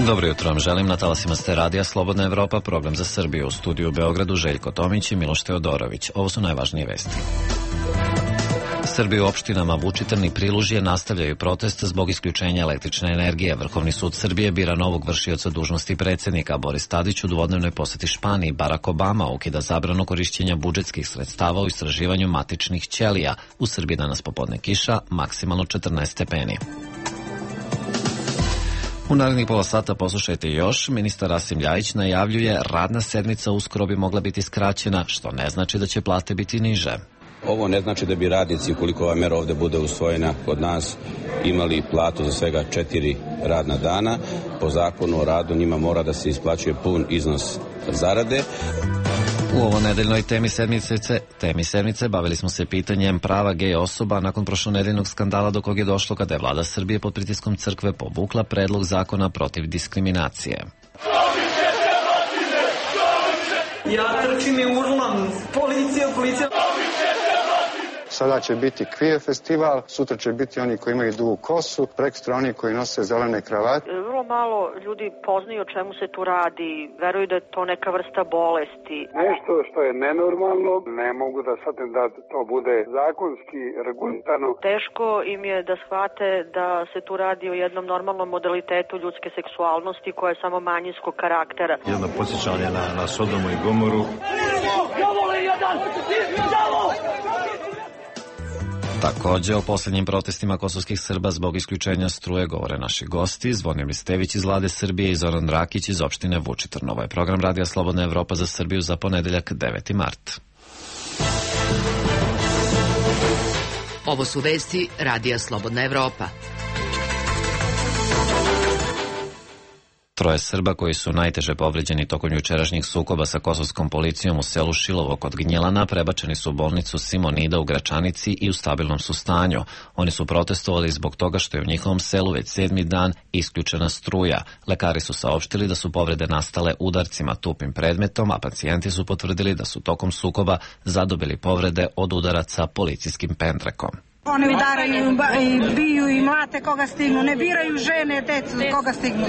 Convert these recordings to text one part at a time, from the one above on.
Dobro jutro vam želim, na talasima ste radija Slobodna Evropa, program za Srbiju. U studiju u Beogradu Željko Tomić i Miloš Teodorović. Ovo su najvažnije vesti. Srbiji u opštinama Vučitrn i Prilužje nastavljaju protest zbog isključenja električne energije. Vrhovni sud Srbije bira novog vršioca dužnosti predsjednika. Boris Tadić u dvodnevnoj poseti Španiji. Barack Obama ukida zabranu korišćenja budžetskih sredstava u istraživanju matičnih ćelija. U Srbiji danas popodne kiša, maksimalno 14 stepeni. U narednih pola sata poslušajte još. Ministar Rasim Ljajić najavljuje radna sedmica uskoro bi mogla biti skraćena, što ne znači da će plate biti niže. Ovo ne znači da bi radnici, ukoliko ova mera ovde bude usvojena kod nas, imali platu za svega 4 radna dana. Po zakonu o radu njima mora da se isplaćuje pun iznos zarade. U ovo nedeljnoj temi sedmice bavili smo se pitanjem prava gej osoba nakon prošlonedeljnog skandala do kog je došlo kada je vlada Srbije pod pritiskom crkve povukla predlog zakona protiv diskriminacije. Ja trčim i urlam, policija. Sada će biti queer festival, sutra će biti oni koji imaju dugu kosu, prekstra oni koji nose zelene kravate. Vrlo malo ljudi poznaju o čemu se tu radi, veruju da je to neka vrsta bolesti. Nešto što je nenormalno, ne mogu da shvatim da to bude zakonski regulirano. Teško im je da shvate da se tu radi o jednom normalnom modalitetu ljudske seksualnosti koja je samo manjinskog karaktera. Jedno podsjećanje na Sodomu i Gomoru. Također o posljednjim protestima kosovskih Srba zbog isključenja struje govore naši gosti, Zvonimir Stević iz Vlade Srbije i Zoran Rakić iz opštine Vučitrn. Ovo je program Radija Slobodna Evropa za Srbiju za ponedeljak 9. mart. Ovo su vesti Radija Slobodna Evropa. Troje Srba koji su najteže povređeni tokom jučerašnjih sukoba sa kosovskom policijom u selu Šilovo kod Gnjilana prebačeni su u bolnicu Simonida u Gračanici i u stabilnom su stanju. Oni su protestovali zbog toga što je u njihovom selu već 7. dan isključena struja. Lekari su saopštili da su povrede nastale udarcima tupim predmetom, a pacijenti su potvrdili da su tokom sukoba zadobili povrede od udaraca policijskim pendrekom. Oni udaraju i biju i mlate koga stignu, ne biraju žene, decu koga stignu.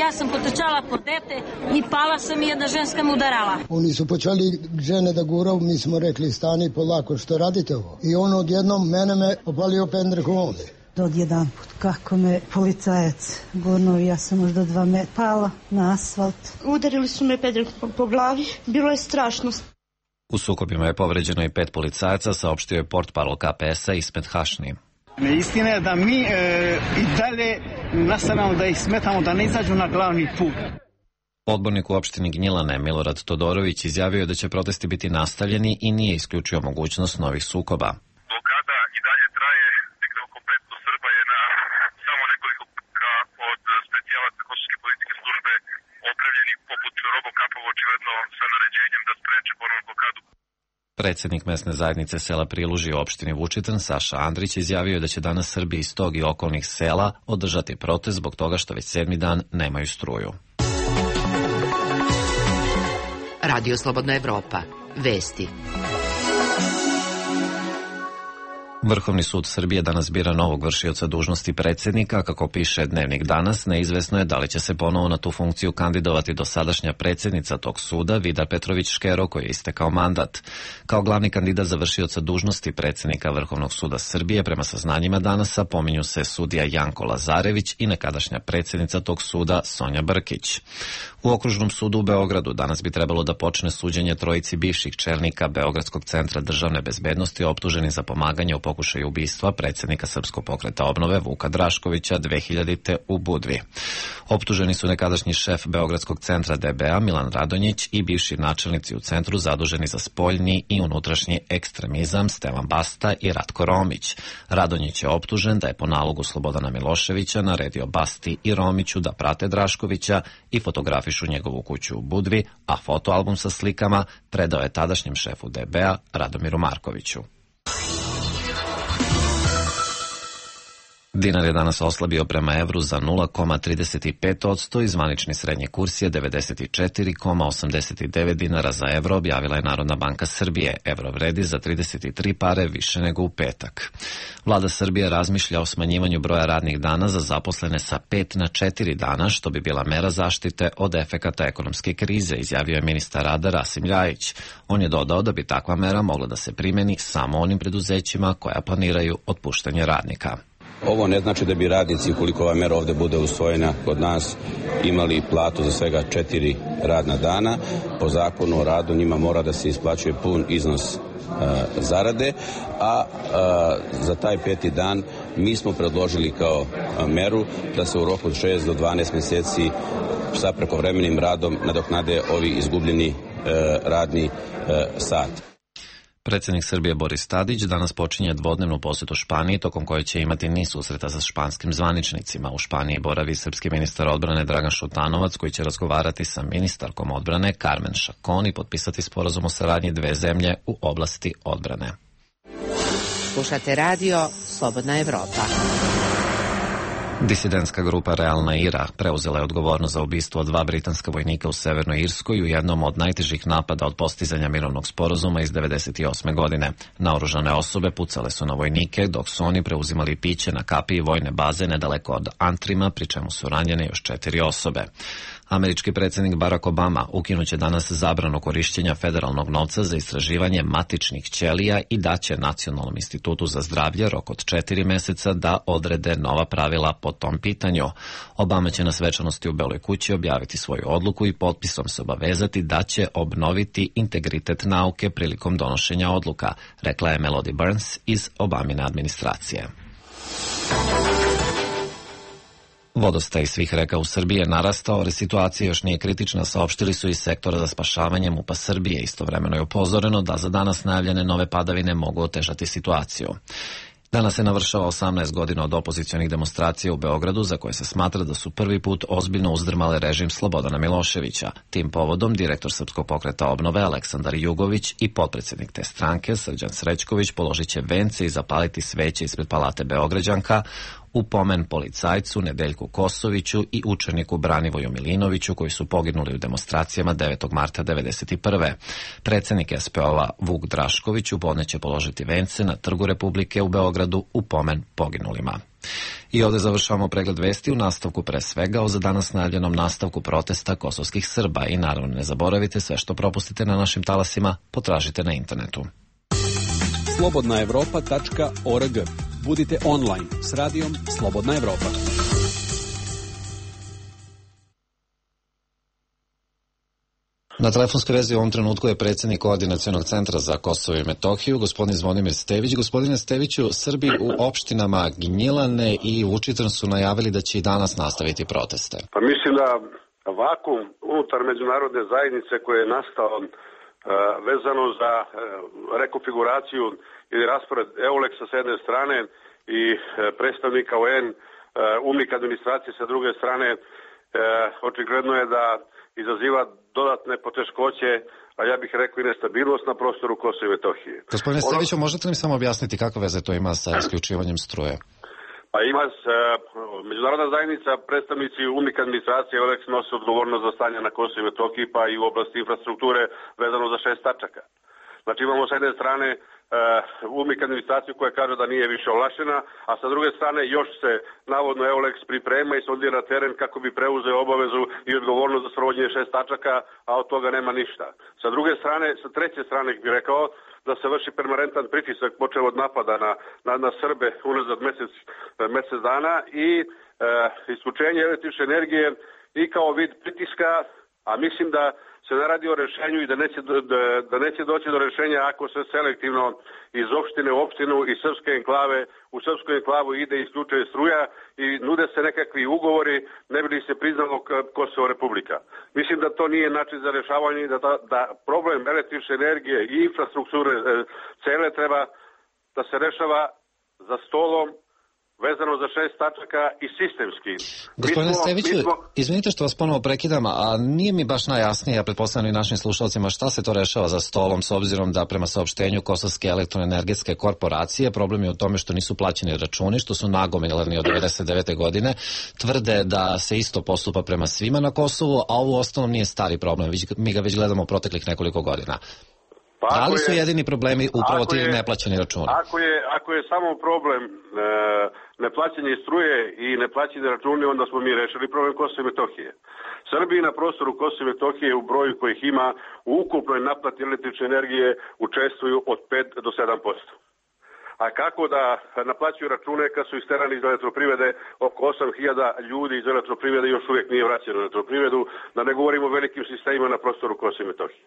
Ja sam potrčala po dete i pala sam i jedna ženska me udarala. Oni su počeli žene da guraju, mi smo rekli stani polako, što radite ovo? I on odjednom me opalio pendrekom ovde. Odjedan put kako me policajac gurnuo, ja sam možda 2 metra pala na asfalt. Udarili su me pendrekom po glavi, bilo je strašno. U sukobima je povređeno i 5 policajaca, saopštio je portparol KPS-a Ismet Hašni. Istina je da mi i dalje nastavljamo da ih smetamo da ne izađu na glavni put. Odbornik u opštini Gnjilane Milorad Todorović izjavio je da će protesti biti nastavljeni i nije isključio mogućnost novih sukoba. Blokada i dalje traje, nekde oko 500 Srba je na samo nekoliko od specijalaca kosovske policijske službe opremljeni poput robokapova, očigledno sa naređenjem da spreče ponovnu blokadu. Predsjednik mesne zajednice sela Prilužje u opštini Vučitrn Saša Andrić izjavio da će danas Srbi iz tog i okolnih sela održati protest zbog toga što već 7. dan nemaju struju. Radio Slobodna Evropa. Vesti. Vrhovni sud Srbije danas bira novog vršioca dužnosti predsjednika. Kako piše Dnevnik danas, neizvesno je da li će se ponovo na tu funkciju kandidovati dosadašnja predsjednica tog suda, Vida Petrović Škero, koji je istekao mandat. Kao glavni kandidat za vršioca dužnosti predsjednika Vrhovnog suda Srbije, prema saznanjima danasa, pominju se sudija Janko Lazarević i nekadašnja predsjednica tog suda Sonja Brkić. U Okružnom sudu u Beogradu danas bi trebalo da počne suđenje trojici bivših čelnika Beogradskog centra državne bezbednosti optuženi za pomaganje u pokušaju ubistva predsjednika Srpskog pokreta obnove Vuka Draškovića 2000. u Budvi. Optuženi su nekadašnji šef Beogradskog centra DBA Milan Radonjić i bivši načelnici u centru zaduženi za spoljni i unutrašnji ekstremizam Stevan Basta i Ratko Romić. Radonjić je optužen da je po nalogu Slobodana Miloševića naredio Basti i Romiću da prate Draškovića i fotografišu njegovu kuću u Budvi, a fotoalbum sa slikama predao je tadašnjem šefu DBA Radomiru Markoviću. Dinar je danas oslabio prema evru za 0,35% i zvanični srednji kurs je 94,89 dinara za evro, objavila je Narodna banka Srbije. Evro vredi za 33 pare više nego u petak. Vlada Srbije razmišlja o smanjivanju broja radnih dana za zaposlene sa 5 na 4 dana, što bi bila mera zaštite od efekata ekonomske krize, izjavio je ministar rada Rasim Ljajić. On je dodao da bi takva mera mogla da se primeni samo onim preduzećima koja planiraju otpuštanje radnika. Ovo ne znači da bi radnici, ukoliko ova mera ovde bude usvojena kod nas, imali platu za svega 4 radna dana. Po zakonu o radu njima mora da se isplaćuje pun iznos zarade, a za taj 5. dan mi smo predložili kao meru da se u roku od 6 do 12 meseci sa prekovremenim radom nadoknade ovi izgubljeni radni sat. Predsjednik Srbije Boris Tadić danas počinje dvodnevnu posjetu Španiji, tokom koje će imati niz susreta sa španskim zvaničnicima. U Španiji boravi srpski ministar odbrane Dragan Šutanovac, koji će razgovarati sa ministarkom odbrane Carmen Chacón i potpisati sporazum o saradnji dve zemlje u oblasti odbrane. Slušate radio Slobodna Evropa. Disidentska grupa Realna Ira preuzela je odgovornost za ubistvo 2 britanska vojnika u Severnoj Irskoj u jednom od najtežih napada od postizanja mirovnog sporazuma iz 1998. godine. Naoružane osobe pucale su na vojnike, dok su oni preuzimali piće na kapiji vojne baze nedaleko od Antrima, pri čemu su ranjene još 4 osobe. Američki predsjednik Barack Obama ukinuće danas zabranu korišćenja federalnog novca za istraživanje matičnih ćelija i daće Nacionalnom institutu za zdravlje rok od 4 meseca da odrede nova pravila po tom pitanju. Obama će na svečanosti u Beloj kući objaviti svoju odluku i potpisom se obavezati da će obnoviti integritet nauke prilikom donošenja odluka, rekla je Melody Burns iz Obamine administracije. Vodostaj svih reka u Srbiji je narastao, ali situacija još nije kritična, saopštili su iz sektora za spašavanje MUP-a Srbije. Istovremeno je upozoreno da za danas najavljene nove padavine mogu otežati situaciju. Danas se navršava 18 godina od opozicionih demonstracija u Beogradu, za koje se smatra da su prvi put ozbiljno uzdrmale režim Slobodana Miloševića. Tim povodom direktor Srpskog pokreta obnove Aleksandar Jugović i potpredsjednik te stranke Srđan Srećković položit će vence i zapaliti sveće ispred Palate Beograđanka u pomen policajcu Nedeljku Kosoviću i učeniku Branivoju Milinoviću, koji su poginuli u demonstracijama 9. marta 1991. Predsjednik SPO-a Vuk Drašković upodne će položiti vence na Trgu Republike u Beogradu u pomen poginulima. I ovdje završavamo pregled vesti, u nastavku pre svega o za danas najavljenom nastavku protesta kosovskih Srba i naravno ne zaboravite, sve što propustite na našim talasima potražite na internetu. slobodnaevropa.org. Budite online s radijom Slobodna Evropa. Na telefonskoj vezi u ovom trenutku je predsjednik Koordinacionog centra za Kosovo i Metohiju, gospodin Zvonimir Stević. Gospodine Steviću, Srbi u opštinama Gnjilane i Vučitrn su najavili da će i danas nastaviti proteste. Pa mislim da vakuum unutar međunarodne zajednice koji je nastao vezano za rekonfiguraciju ili raspored EULEX-a s jedne strane i predstavnika UN, UNMIK administracije sa druge strane, očigledno je da izaziva dodatne poteškoće, a ja bih rekao i nestabilnost na prostoru Kosova i Metohije. Gospodine Steviću, možete li samo objasniti kakve veze to ima sa isključivanjem struje? Pa ima međunarodna zajednica, predstavnici UNMIK administracije EULEX nose odgovornost za stanje na Kosovu i Metohiji, pa i u oblasti infrastrukture vezano za 6 tačaka. Znači imamo s jedne strane UNMIK administraciju koja kaže da nije više ovlašćena, a sa druge strane još se navodno EULEX priprema i sondira teren kako bi preuzeo obavezu i odgovornost za sprovođenje 6 tačaka, a od toga nema ništa. Sa druge strane, sa treće strane bih rekao da se vrši permanentan pritisak počeo od napada na Srbe unazad mesec dana i isključenje električne energije i kao vid pritiska, a mislim da se ne radi o rešenju i da neće doći do rešenja ako se selektivno iz opštine u opštinu i srpske enklave u srpsku enklavu ide i isključuje struja i nude se nekakvi ugovori ne bi li se priznalo Kosovo Republika. Mislim da to nije način za rešavanje i da problem električne energije i infrastrukture cele treba da se rešava za stolom vezano za 6 tačaka i sistemski. Gospodine Steviću, izvinite što vas ponovo prekidam, a nije mi baš najjasnije, ja pretpostavljam i našim slušalcima, šta se to rešava za stolom, s obzirom da prema saopštenju Kosovske elektroenergetske korporacije problem je u tome što nisu plaćeni računi, što su nagomilani od 99. godine, tvrde da se isto postupa prema svima na Kosovu, a ovo ostalom nije stari problem, mi ga već gledamo u proteklih nekoliko godina. Da li su jedini problemi upravo ti neplaćeni računi? Ako je samo problem neplaćanje struje i neplaćanje računi, onda smo mi rešili problem Kosova i Metohije. Srbiji na prostoru Kosova i Metohije u broju kojih ima u ukupnoj naplati električne energije učestvuju od 5 do 7%. A kako da naplaćuju račune kad su isterani iz elektroprivrede, oko 8.000 ljudi iz elektroprivrede još uvijek nije vraćeno u elektroprivredu, da ne govorimo o velikim sistemima na prostoru Kosova i Metohije.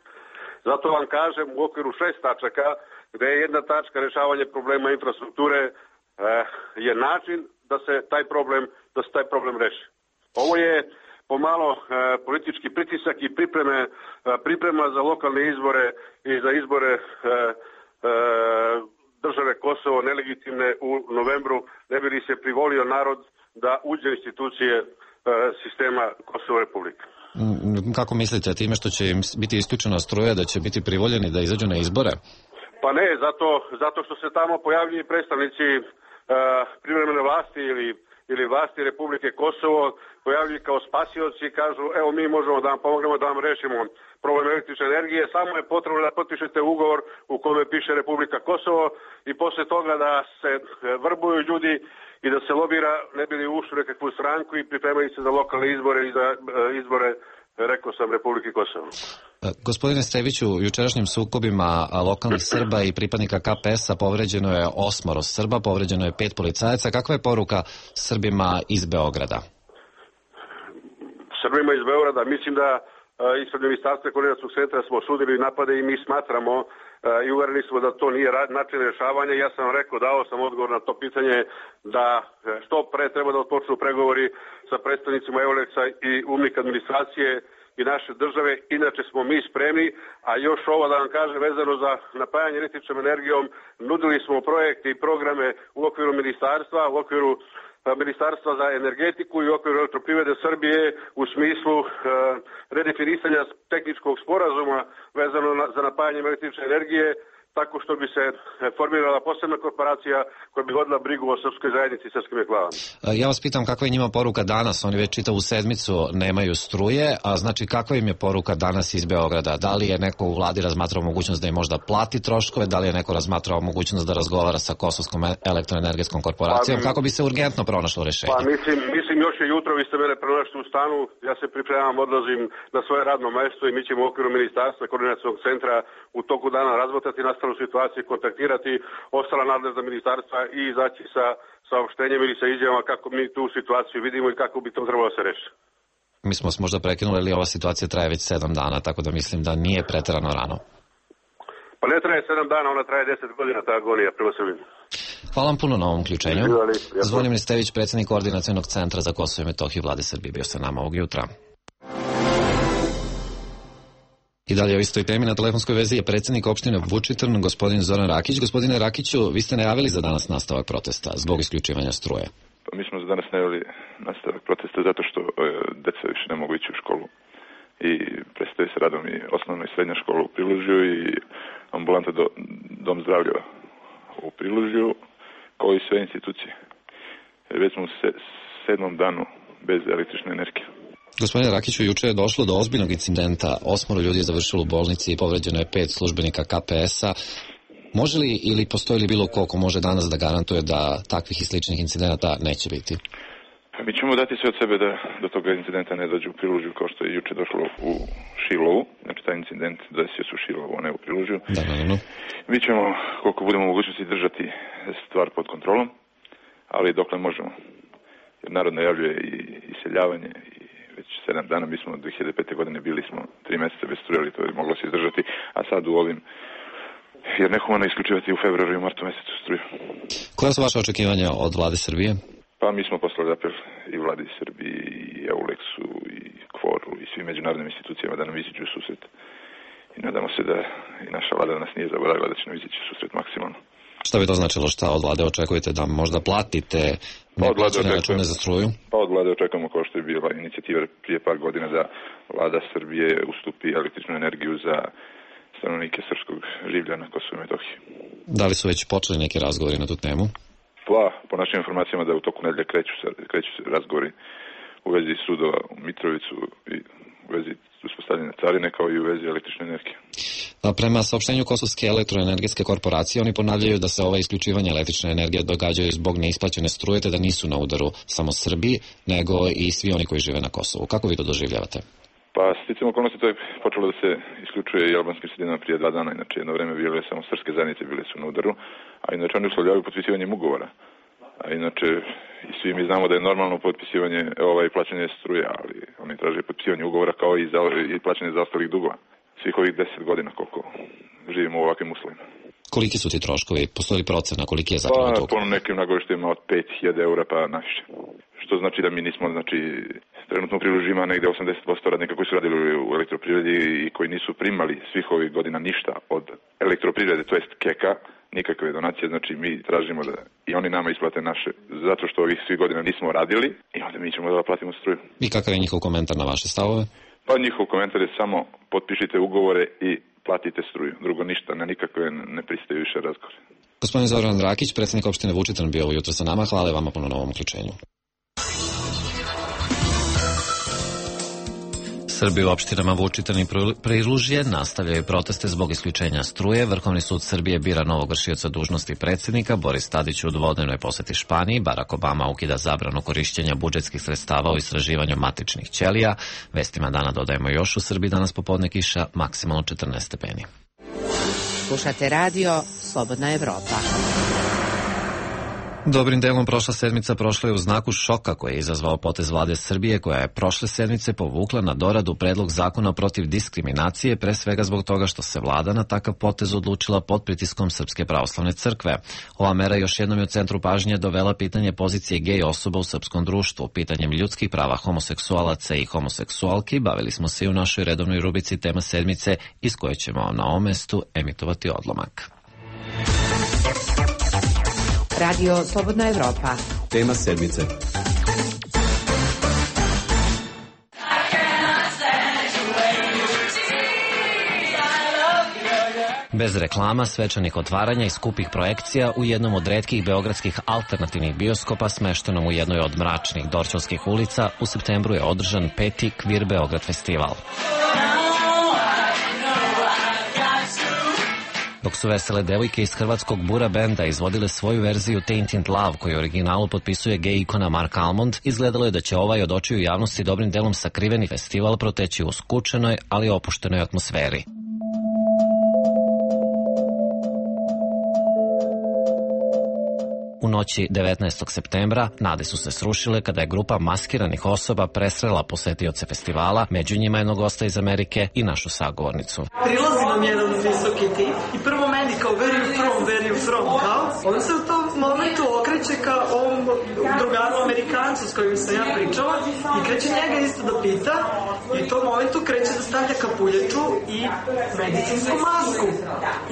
Zato vam kažem, u okviru 6 tačaka, gde je jedna tačka rešavanje problema infrastrukture, je način da se taj problem reši. Ovo je pomalo politički pritisak i priprema za lokalne izbore i za izbore države Kosovo nelegitimne u novembru, ne bi li se privolio narod da uđe u institucije sistema Kosovo Republike. Kako mislite, time što će im biti isključena struja, da će biti privoljeni da izađu na izbore? Pa ne, zato što se tamo pojavljuju predstavnici privremene vlasti ili vlasti Republike Kosovo, pojavljuju kao spasioci i kažu, evo mi možemo da vam pomognemo da vam rešimo problem električne energije, samo je potrebno da potpišete ugovor u kome piše Republika Kosovo i posle toga da se vrbuju ljudi i da se lobira, ne bi li ušli u nekakvu stranku i pripremaju se za lokalne izbore i za izbore, rekao sam, Republike Kosovo. Gospodine Steviću, u jučerašnjim sukobima lokalnih Srba i pripadnika KPS-a povređeno je 8 Srba, povređeno je 5 policajaca. Kakva je poruka Srbima iz Beograda? Srbima iz Beograda, mislim da ispred Ministarstva koordinacionog centra smo osudili napade i mi smatramo i uvereni smo da to nije način rešavanja. Ja sam rekao, dao sam odgovor na to pitanje da što pre treba da odpočnu pregovori sa predstavnicima Euleksa i UNMIK administracije i naše države, inače smo mi spremni, a još ovo da vam kažem vezano za napajanje električnom energijom, nudili smo projekte i programe u okviru ministarstva, u okviru Ministarstva za energetiku i u okviru elektroprivrede Srbije u smislu redefinisanja tehničkog sporazuma vezano za napajanje električne energije, tako što bi se formirala posebna korporacija koja bi vodila brigu o srpskoj zajednici i srpskim enklavama. Ja vas pitam kakva je njima poruka danas, oni već čitavu sedmicu nemaju struje, a znači kakva im je poruka danas iz Beograda? Da li je neko u vladi razmatrao mogućnost da im možda plati troškove, da li je neko razmatrao mogućnost da razgovara sa Kosovskom elektroenergetskom korporacijom, kako bi se urgentno pronašlo rešenje? Pa mislim još je jutro, vi ste mene pronašli u stanu, ja se pripremam, odlazim na svoje radno mesto i mi ćemo u okviru Ministarstva koordinacionog centra u toku dana razmotrati nastalu situaciju, kontaktirati ostala nadležna ministarstva i izaći sa saopštenjem ili sa izjavama kako mi tu situaciju vidimo i kako bi to trebalo da se reši. Mi smo se možda prekinuli, ali ova situacija traje već 7 dana, tako da mislim da nije preterano rano. Pa ne traje 7 dana, ona traje 10 godina, ta agonija prema Srbiji. Hvala vam puno na ovom uključenju. Zvonimir Stević, predsjednik Koordinacionog centra za Kosovo i Metohiju Vlade Srbije, bio sa nama ovog jutra. I dalje o istoj temi na telefonskoj vezi je predsjednik opštine Vučitrn, gospodin Zoran Rakić. Gospodine Rakiću, vi ste najavili za danas nastavak protesta zbog isključivanja struje. Pa mi smo za danas najavili nastavak protesta zato što deca više ne mogu ići u školu i prestaje se radom i osnovna i srednja škola u Prilužju i ambulanta dom zdravlja u Prilužju, kao i sve institucije. Već smo u 7. danu bez električne energije. Gospodine Rakiću, juče je došlo do ozbiljnog incidenta. 8 ljudi je završilo u bolnici i povređeno je 5 službenika KPS-a. Može li ili postoji li bilo ko može danas da garantuje da takvih i sličnih incidenata neće biti? Mi ćemo dati sve od sebe da do toga incidenta ne dođe u Prilužju kao što je juče došlo u Šilovu. Znači taj incident desio se u Šilovu, a ne u Prilužju. Da. Mi ćemo koliko budemo mogućnosti držati stvar pod kontrolom, ali dokle možemo. Jer narod najavljuje i iseljavanje i već 7 dana, mi smo od 2005. godine bili smo 3 mjeseca bez struje, ali to je moglo se izdržati, a sad u ovim, jer nehumano isključivati u februaru i martu mjesecu struju. Koja su vaše očekivanja od vlade Srbije? Pa mi smo poslali apel i vladi Srbije, i Euleksu, i Kvoru, i svim međunarodnim institucijama da nam iziđu u susret i nadamo se da i naša vlada nas nije zaboravila, da će nam izići susret maksimalno. Šta bi to značilo? Šta od vlade očekujete? Da možda platite neplaćene račune za struju? Pa od vlade očekujemo, kao što je bila inicijativa prije par godina, da vlada Srbije ustupi električnu energiju za stanovnike srpskog življa na Kosovu i Metohiji. Da li su već počeli neki razgovori na tu temu? Pa, po našim informacijama da u toku nedelje kreću se razgovori u vezi sudova u Mitrovicu i u vezi uspostavljanja carine, kao i u vezi električne energije. Prema saopštenju Kosovske elektroenergetske korporacije, oni ponavljaju da se ova isključivanja električne energije događaju zbog neisplaćene struje, te da nisu na udaru samo Srbiji, nego i svi oni koji žive na Kosovu. Kako vi to doživljavate? Pa, sticam okolnosti, to je počelo da se isključuje i albanskim sredinama prije 2 dana, inače jedno vreme bile samo srpske zajednice bile su na udaru, a inače oni uslovljavaju potpisivanjem ugovora. A inače, i svi mi znamo da je normalno potpisivanje, plaćanje struje, ali oni traže potpisivanje ugovora kao i plaćanje zaostalih dugova. Svih ovih 10 godina koliko živimo u ovakvim uslovima. Koliki su ti troškovi? Postoji li procena koliki je zapravo dug? Pa, po nekim nagoveštajima od 5.000 eura pa naviše. Što znači da mi nismo, trenutno priložima negde 80% radnika koji su radili u elektroprivredi i koji nisu primali svih ovih godina ništa od elektroprivrede, to jest KEK-a, nikakve donacije, znači mi tražimo da i oni nama isplate naše, zato što ovih svih godina nismo radili i onda mi ćemo da platimo struju. I kakav je njihov komentar na vaše stavove? Pa njihov komentar je samo potpišite ugovore i platite struju. Drugo ništa, na nikakve ne pristaju više razgovore. Gospodin Zoran Rakić, predsjednik opštine Vučitrn, bio ovo jutro sa nama. Hvala vama puno na ovom uključenju. Srbi u opštinama Vučitrn i Prilužje nastavljaju proteste zbog isključenja struje. Vrhovni sud Srbije bira novog vršioca dužnosti predsjednika. Boris Tadić u dvodnevnoj poseti Španiji. Barack Obama ukida zabranu korišćenja budžetskih sredstava u istraživanju matičnih ćelija. Vestima dana dodajemo još: u Srbiji danas popodne kiša, maksimalno 14 stepeni. Slušate radio Slobodna Evropa. Dobrim delom prošla sedmica prošla je u znaku šoka koji je izazvao potez vlade Srbije, koja je prošle sedmice povukla na doradu predlog zakona protiv diskriminacije, pre svega zbog toga što se vlada na takav potez odlučila pod pritiskom Srpske pravoslavne crkve. Ova mera još jednom je u centru pažnje dovela pitanje pozicije gej osoba u srpskom društvu. Pitanjem ljudskih prava homoseksualaca i homoseksualki bavili smo se i u našoj redovnoj rubrici Tema sedmice, iz koje ćemo na ovom mestu emitovati odlomak. Radio Slobodna Evropa. Tema sedmice. Bez reklama, svečanih otvaranja i skupih projekcija u jednom od retkih beogradskih alternativnih bioskopa smeštenom u jednoj od mračnih Dorćolskih ulica u septembru je održan 5. Kvir Beograd festival. Dok su vesele devojke iz hrvatskog Bura benda izvodile svoju verziju Tainted Love, koju u originalu potpisuje gej ikona Mark Almond, izgledalo je da će ovaj od očiju javnosti dobrim delom sakriveni festival proteći u skučenoj, ali opuštenoj atmosferi. U noći 19. septembra nade su se srušile kada je grupa maskiranih osoba presrela posetioce festivala, među njima jednog gosta iz Amerike i našu sagovornicu. Prilazi nam jedan visoki tip i prvo meni kao where you from, kao? On se u tom momentu okreće ka ovom drugaru Amerikancu s kojim sam ja pričala i kreće njega isto da pita i u tom momentu kreće da stavlja kapuljaču i medicinsku masku.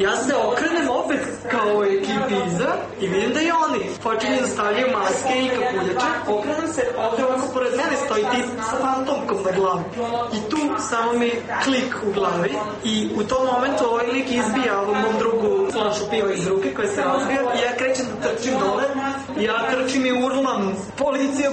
Ja se okrenem opet kao ekipi iza i vidim da i oni počinju da stavljaju maske i kapuljače. Okrenem se, ovdje ovako pored mene stoji tip sa fantomkom na glavi. I tu samo mi klik u glavi i u tom momentu ovaj lik izbija ovom mom drugu flašu piva iz ruke koja se razbija i ja krećem da trčim dole. Ja trčim i urlam. Policija.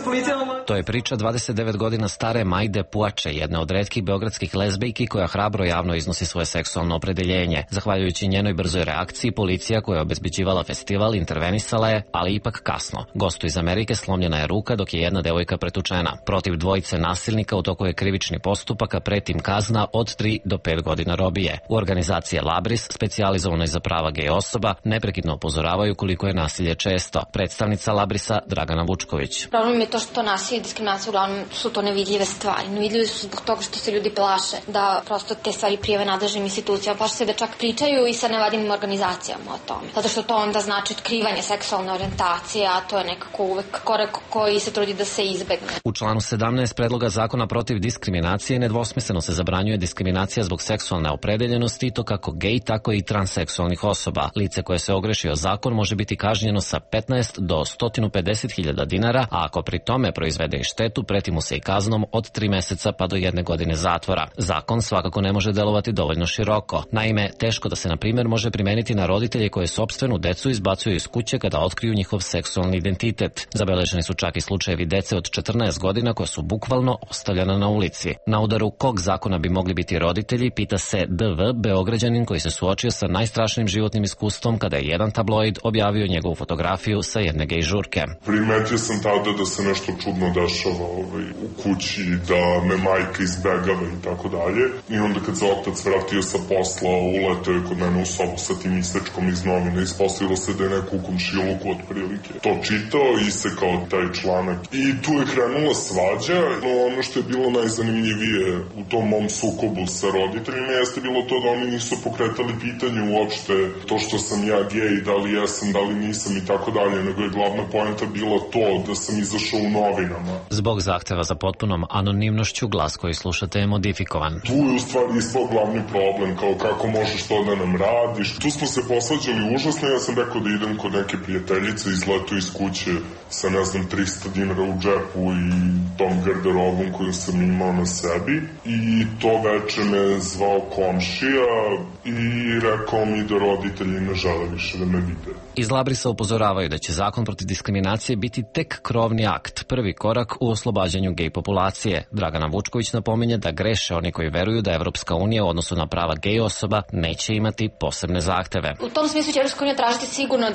To je priča 29 godina stare Majde Puače, jedne od retkih beogradskih lezbijki koja hrabro javno iznosi svoje seksualno opredeljenje. Zahvaljujući njenoj brzoj reakciji, policija koja je obezbeđivala festival intervenisala je, ali ipak kasno. Gostu iz Amerike slomljena je ruka dok je jedna devojka pretučena. Protiv dvojice nasilnika u toku je krivični postupak, a pretim kazna od 3 do 5 godina robije. U organizaciji Labris, specijalizovanoj za prava gej osoba, neprekidno upozoravaju koliko je nasilje često. Predstavnica Labrisa Dragana Vučković. Problem je to što nasilje i diskriminacija uglavnom su to nevidljive stvari. Nevidljive su zbog zbog toga što se ljudi plaše da prosto te stvari prijave nadležnim institucijama, plaše se da čak pričaju i sa nevladinim organizacijama o tome. Zato što to onda znači otkrivanje seksualne orijentacije, a to je nekako uvek korak koji se trudi da se izbegne. U članu 17 predloga zakona protiv diskriminacije nedvosmisleno se zabranjuje diskriminacija zbog seksualne opredeljenosti i to kako gej, tako i transseksualnih osoba. Lice koje se ogreši o zakon može biti kažnjeno sa 15 do 150.000 dinara, a ako pri tome proizvede i štetu, preti mu se i kaznom od 3 meseca pa do 1 godine zatvora. Zakon svakako ne može delovati dovoljno široko. Naime, teško da se, na primjer, može primeniti na roditelje koje sopstvenu decu izbacuju iz kuće kada otkriju njihov seksualni identitet. Zabeleženi su čak i slučajevi dece od 14 godina koja su bukvalno ostavljena na ulici. Na udaru kog zakona bi mogli biti roditelji, pita se DV, Beograđanin koji se suočio sa najstrašnijim životnim iskustvom kada je jedan tabloid objavio njegovu fotografiju sa jedne gej žurke. Primetio sam tada da se nešto čudno dešava u kući, da me majka izbegava i tako dalje. I onda kad se otac vratio sa posla, uletao je kod mene u sobu sa tim isečkom iz novina. Ispostavilo se da je neko u komšiluku otprilike to čitao, isekao taj članak. I tu je krenula svađa. Ono što je bilo najzanimljivije u tom mom sukobu sa roditeljima jeste bilo to da oni nisu pokretali pitanje uopšte to što sam ja gej, da li jesam, da li nisam i tako dalje, nego je glavna poenta bila to da sam izašao u novinama. Zbog zahteva za potpunom anonimnošću glas koji slušate je modifikovan. Tu je u stvari ispao glavni problem, kao kako možeš to da nam radiš. Tu smo se posvađali užasno, ja sam rekao da idem kod neke prijateljice, izletao iz kuće sa 300 dinara u džepu i tom garderobom koju sam imao na sebi. I to veče me zvao komšija i rekao mi da roditelji ne žele više da me vide. Iz Labrisa upozoravaju da će zakon protiv diskriminacije biti tek krovni akt, prvi korak u oslobađanju gej populacije. Dragana Vučković napominje da greše oni koji veruju da Evropska unija u odnosu na prava gej osoba neće imati posebne zahteve. U tom smislu će Evropska unija tražiti sigurno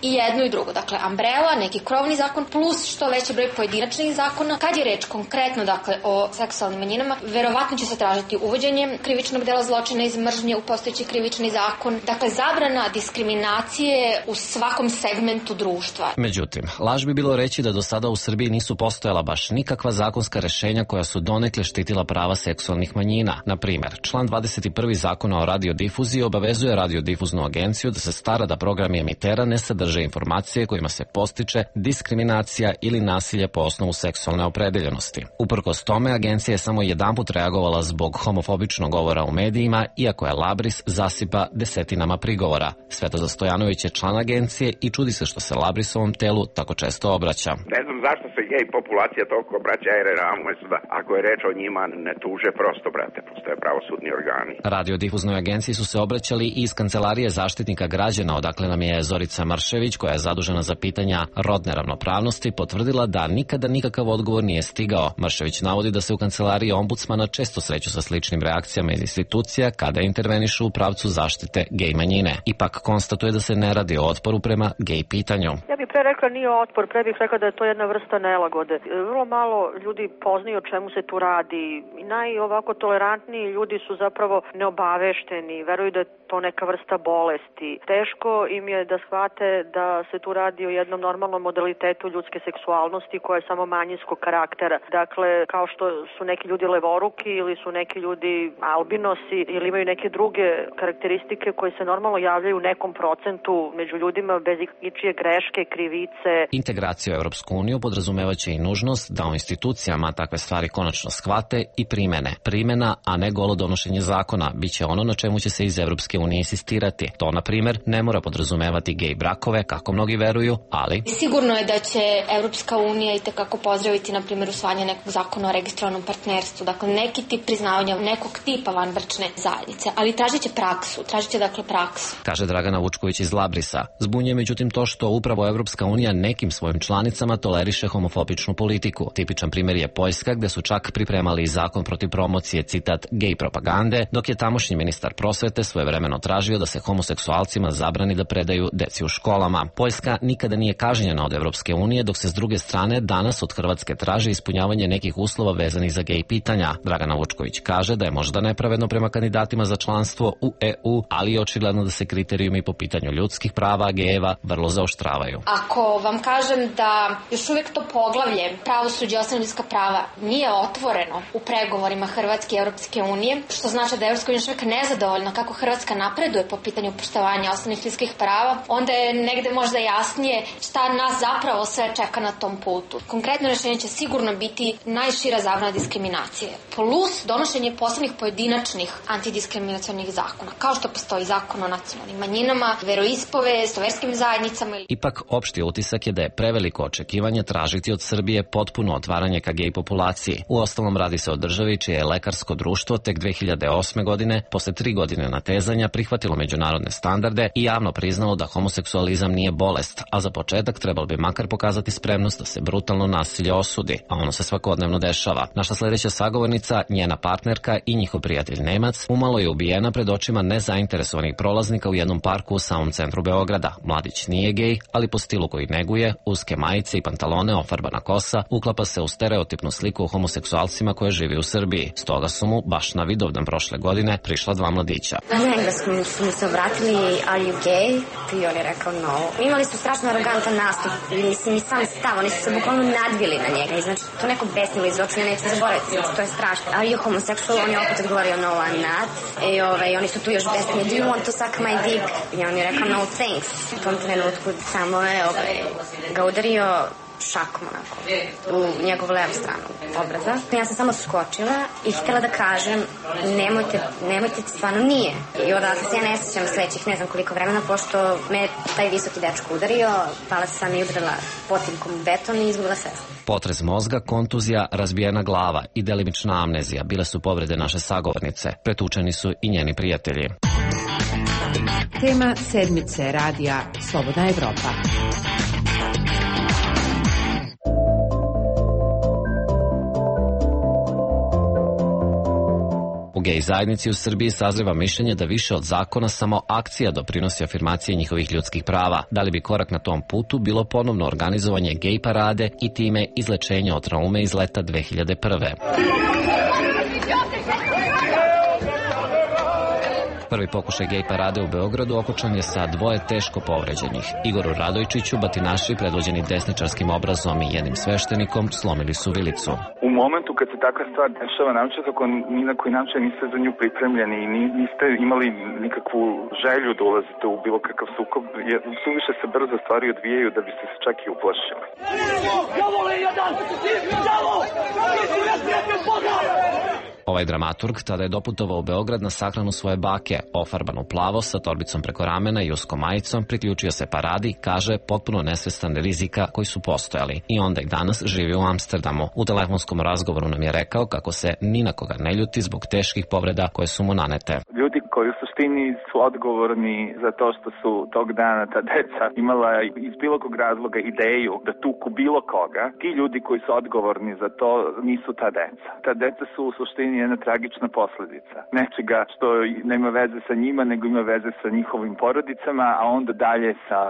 i jedno i drugo. Umbrella, neki krovni zakon plus što veći broj pojedinačnih zakona. Kad je reč konkretno o seksualnim manjinama, verovatno će se tražiti uvođenje krivičnog dela zločina iz mržnje u postojeći krivični zakon. Zabrana diskriminacije u svakom segmentu društva. Međutim, laž bi bilo reći da do sada u Srbiji nisu postojala baš nikakva zakonska rešenja koja su donekle štitila prava seksualnih manjina. Na primjer, član 21. Zakona o radiodifuziji obavezuje radiodifuznu agenciju da se stara da programi emitera ne sadrže informacije kojima se postiče diskriminacija ili nasilje po osnovu seksualne opredeljenosti. Uprkos tome, agencija je samo jedanput reagovala zbog homofobičnog govora u medijima, iako je Labris zasipa desetinama prigovora. Svetoza Stojanović je član agencije i čudi se što se Labrisovom telu tako često obraća. Ne znam zašto se gej populacija toliko obraća, jer ako je reč o njima ne tuže prosto, brate, postoje pravosudni organi. Radiodifuznoj agenciji su se obraćali i iz Kancelarije zaštitnika građana, odakle nam je Zorica Maršević, koja je zadužena za pitanja rodne ravnopravnosti, potvrdila da nikada nikakav odgovor nije stigao. Maršević navodi da se u Kancelariji ombudsmana često sreću sa sličnim reakcijama iz institucija kada intervenišu u pravcu zaštite gej manjine. Ipak konstatuje da se ne radi o otporu prema gej pitanju. Ja bih pre rekla nije otpor, pre bih rekla da je to jedna vrsta nelagode. Vrlo malo ljudi poznaju o čemu se tu radi. Ovako tolerantniji ljudi su zapravo neobavešteni, veruju da je to neka vrsta bolesti. Teško im je da shvate da se tu radi o jednom normalnom modalitetu ljudske seksualnosti koja je samo manjinskog karaktera. Dakle, kao što su neki ljudi levoruki ili su neki ljudi albinosi ili imaju neke druge karakteristike koje se normalno javljaju u nekom procentu među ljudima bez ičije greške, krivice. Integracija u Evropsku uniju podrazumevaće i nužnost da u institucijama takve stvari konačno shvate i primene. Primena, a ne golo donošenje zakona, biće ono na čemu će se iz Evropske unije insistirati. To, na primjer, ne mora podrazumevati gej brakove, kako mnogi veruju, ali... Sigurno je da će Evropska unija itekako pozdraviti, na primjer, usvajanje nekog zakona o registrovanom partnerstvu, dakle neki tip priznavanja nekog tipa vanbračne zajednice, ali tražit će praksu. Kaže Dragana Vučković iz Labrisa. Zbunjuje međutim to što upravo Evropska unija nekim svojim članicama toleriše homofobičnu politiku. Tipičan primjer je Poljska, gde su čak pripremali zakon protiv promocije, citat, gej propagande, dok je tamošnji ministar prosvete svojevremeno tražio da se homoseksualcima zabrani da predaju deci u školama. Poljska nikada nije kažnjena od Evropske unije, dok se s druge strane danas od Hrvatske traži ispunjavanje nekih uslova vezanih za gej pitanja. Dragana Vučković kaže da je možda nepravedno prema kandidatima za članstvo u EU, ali je očigledno da se kriterijumi po pitanju ljudskih prava gejeva vrlo zaoštravaju. Ako vam kažem da još uvijek to poglavlje pravosuđe i osnovna ljudska prava nije otvoreno u pregovorima Hrvatske i Europske unije, što znači da je Europska unija još uvijek nezadovoljna kako Hrvatska napreduje po pitanju poštovanja osnovnih ljudskih prava, onda je negde možda jasnije šta nas zapravo sve čeka na tom putu. Konkretno rješenje će sigurno biti najšira zabrana diskriminacije, plus donošenje posebnih pojedinačnih antidiskriminacionih zakona, kao što postoji zakon o nacionalnim manjinama, veroispovest, verskim zajednicama. Ipak, opšti utisak je da je preveliko očekivanje tražiti od Srbije potpuno otvaranje ka gej populaciji. Uostalom, radi se o državi čije je lekarsko društvo tek 2008. godine, posle 3 godine natezanja, prihvatilo međunarodne standarde i javno priznalo da homoseksualizam nije bolest, a za početak trebalo bi makar pokazati spremnost da se brutalno nasilje osudi, a ono se svakodnevno dešava. Naša sledeća sagovornica, njena partnerka i njihov prijatelj Nemac, umalo je ubijena pred očima nezainteresovanih prolaznika u jednom parku u samom centru Beograda. Mladić nije gej, ali po stilu koji neguje, uske majice i pantalone, ofarbana kosa, uklapa se u stereotipnu sliku o homoseksualcima koje živi u Srbiji. Stoga su mu, baš na Vidovdan prošle godine, prišla 2 mladića. Na engleskom su mi se obratili, are you gay? I on je rekao no. Imali su strašno arogantan nastup, mislim i sam stav, oni su se bukvalno nadvili na njega i znači to neko besnilo iz očiju, neću zaboraviti, znači to je strašno. Are you homosexual? On je opet odgovorio no, I'm not. I oni su tu još besnili, do you want to suck my dick? I on je rekao no thanks. U tom trenutku samo je ga udario šakom onako u njegovu levu stranu obraza. Ja sam samo skočila i htjela da kažem nemojte, stvarno nije. I odatle se ja ne sjećam sledećih ne znam koliko vremena, pošto me taj visoki dečko udario, pala sam i udarila potimkom u beton i izgubila svest. Potres mozga, kontuzija, razbijena glava i delimična amnezija bile su povrede naše sagovornice. Pretučeni su i njeni prijatelji. Tema sedmice radija Slobodna Evropa. U gej zajednici u Srbiji sazreva mišljenje da više od zakona samo akcija doprinosi afirmaciji njihovih ljudskih prava. Da li bi korak na tom putu bilo ponovno organizovanje gej parade i time izlečenje od traume iz leta 2001. Prvi pokušaj gej parade u Beogradu okončan je sa 2 teško povređenih. Igoru Radojčiću batinaši predvođeni desničarskim obrazom i jednim sveštenikom slomili su vilicu. U momentu kad se takva stvar dešava, naročito ako ni na koji način niste za nju pripremljeni i niste imali nikakvu želju da ulazite u bilo kakav sukob, suviše se brzo stvari odvijaju da biste se čak i uplašili. Ovaj dramaturg tada je doputovao u Beograd na sahranu svoje bake, ofarban u plavo sa torbicom preko ramena i uskom majicom, priključio se paradi, kaže, potpuno nesvestan rizika koji su postojali i onda i danas živi u Amsterdamu. U telefonskom razgovoru nam je rekao kako se ni na koga ne ljuti zbog teških povreda koje su mu nanete. Ljudi koji u suštini su odgovorni za to što su tog dana ta deca imala iz bilo kog razloga ideju da tuku bilo koga, ti ljudi koji su odgovorni za to nisu ta deca. Ta deca su u suštini jedna tragična posledica nečega što nema veze sa njima, nego ima veze sa njihovim porodicama, a onda dalje sa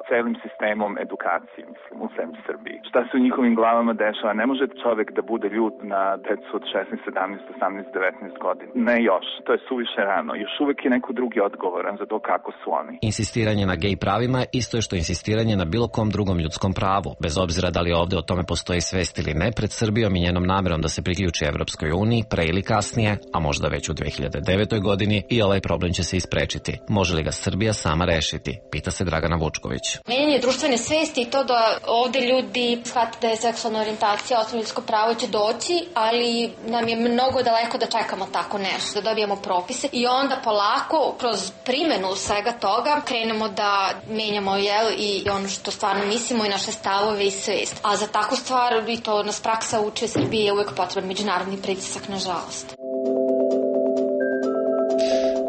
celim sistemom edukacije, mislim, u zemlji Srbiji. Šta se u njihovim glavama dešava? Ne može čovek da bude ljut na decu od 16, 17, 18, 19 godina. Ne još, to je suviše rano. Još uvek je neko drugi odgovoran za to kako su oni. Insistiranje na gej pravima isto je što insistiranje na bilo kom drugom ljudskom pravu, bez obzira da li ovde o tome postoji svest ili ne, pred Srbijom i njenom namerom da se priključi Evropskoj uniji, pre ili kasnije, a možda već u 2009. godini, i ovaj problem će se isprečiti. Može li ga Srbija sama rešiti? Pita se Dragana Vučković. Menjanje društvene svesti i to da ovde ljudi shvate da je seksualna orijentacija osnovno ljudsko pravo će doći, ali nam je mnogo daleko da čekamo tako nešto, da dobijemo propise i onda polako, kroz primenu svega toga, krenemo da menjamo i ono što stvarno mislimo i naše stavove i svest. A za takvu stvar, i to nas praksa uči, Srbije je uvek potreban međunarodni pritisak, nažalost.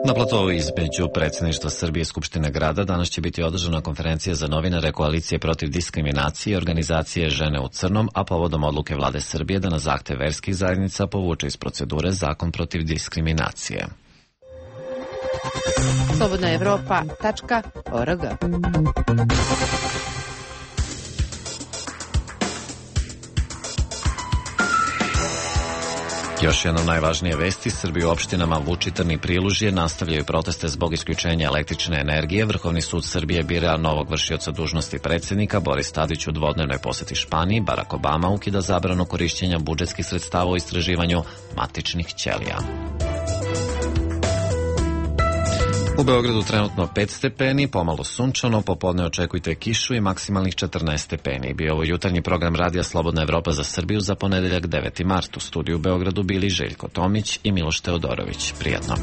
Na platovu između predsjedništva Srbije i Skupštine grada danas će biti održana konferencija za novinare Koalicije protiv diskriminacije i organizacije Žene u crnom, a povodom odluke vlade Srbije da na zahtev verskih zajednica povuče iz procedure zakon protiv diskriminacije. slobodnaevropa.org. Još jednom najvažnije vesti, Srbi u opštinama Vučitrn i Prilužje nastavljaju proteste zbog isključenja električne energije. Vrhovni sud Srbije bira novog vršioca dužnosti predsjednika. Boris Tadić u dvodnevnoj poseti Španiji. Barack Obama ukida zabranu korišćenja budžetskih sredstava u istraživanju matičnih ćelija. U Beogradu trenutno 5 stepeni, pomalo sunčano, popodne očekujte kišu i maksimalnih 14 stepeni. Bio ovo jutarnji program Radija Slobodna Evropa za Srbiju za ponedeljak 9. mart. U studiju u Beogradu bili Željko Tomić i Miloš Teodorović. Prijatno.